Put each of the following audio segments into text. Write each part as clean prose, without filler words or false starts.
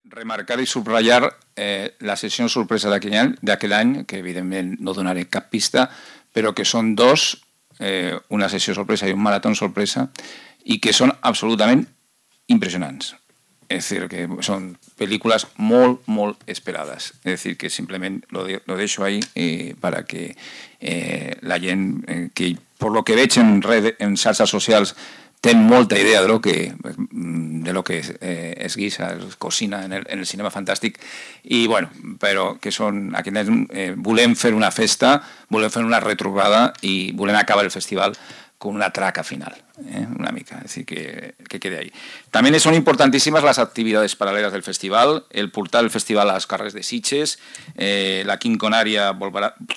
remarcar i subratllar la sessió sorpresa d'aquell any, que evidentment no donaré cap pista, però que són dos, una sessió sorpresa i un marató sorpresa, i que són absolutament impressionants. Es decir, que son películas muy esperadas. Es decir, que simplemente lo dejo ahí para que la gent, que por lo que veig en xarxes socials, ten molta idea de lo que es guisa, es cocina en el cinema fantàstic, i bueno, però que són, volem fer una festa, volem fer una retrobada i volem acabar el festival con una traca final, una mica, es decir, que quede ahí. También son importantísimas las actividades paralelas del festival, el portar el festival a les carrers de Sitges, la Quinconària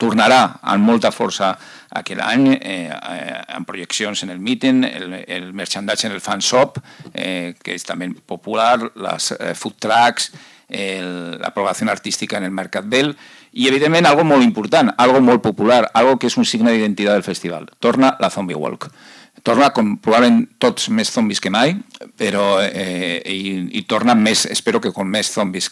tornarà amb molta força aquell any, amb projeccions en el meeting, el merchandising en el fan shop, que és també popular, les food trucks, la programació artística en el Mercat Vell, i evidentment algo molt important, algo molt popular, algo que és un signe d'identitat del festival. Torna la Zombie Walk. Torna com probablement tots més zombis que mai, però i torna més, espero que con més zombis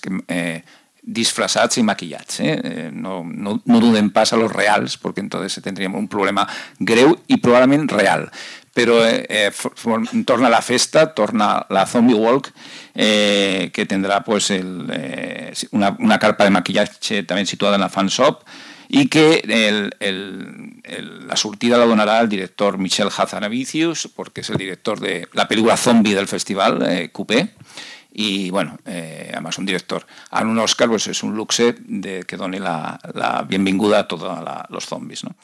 disfrazats i maquillats. No duden pas a los reals, porque entonces tendríamos un problema greu i probablement real. Però torna la festa, torna la Zombie Walk, que tendrá pues una carpa de maquillaje también situada en la fan shop, y que la sortida la donará el director Michel Hazanavicius, porque es el director de la película zombie del festival, Coupé, y bueno, además un director a un Oscar, pues es un luxe que doni la benvinguda a todos los zombies, ¿no?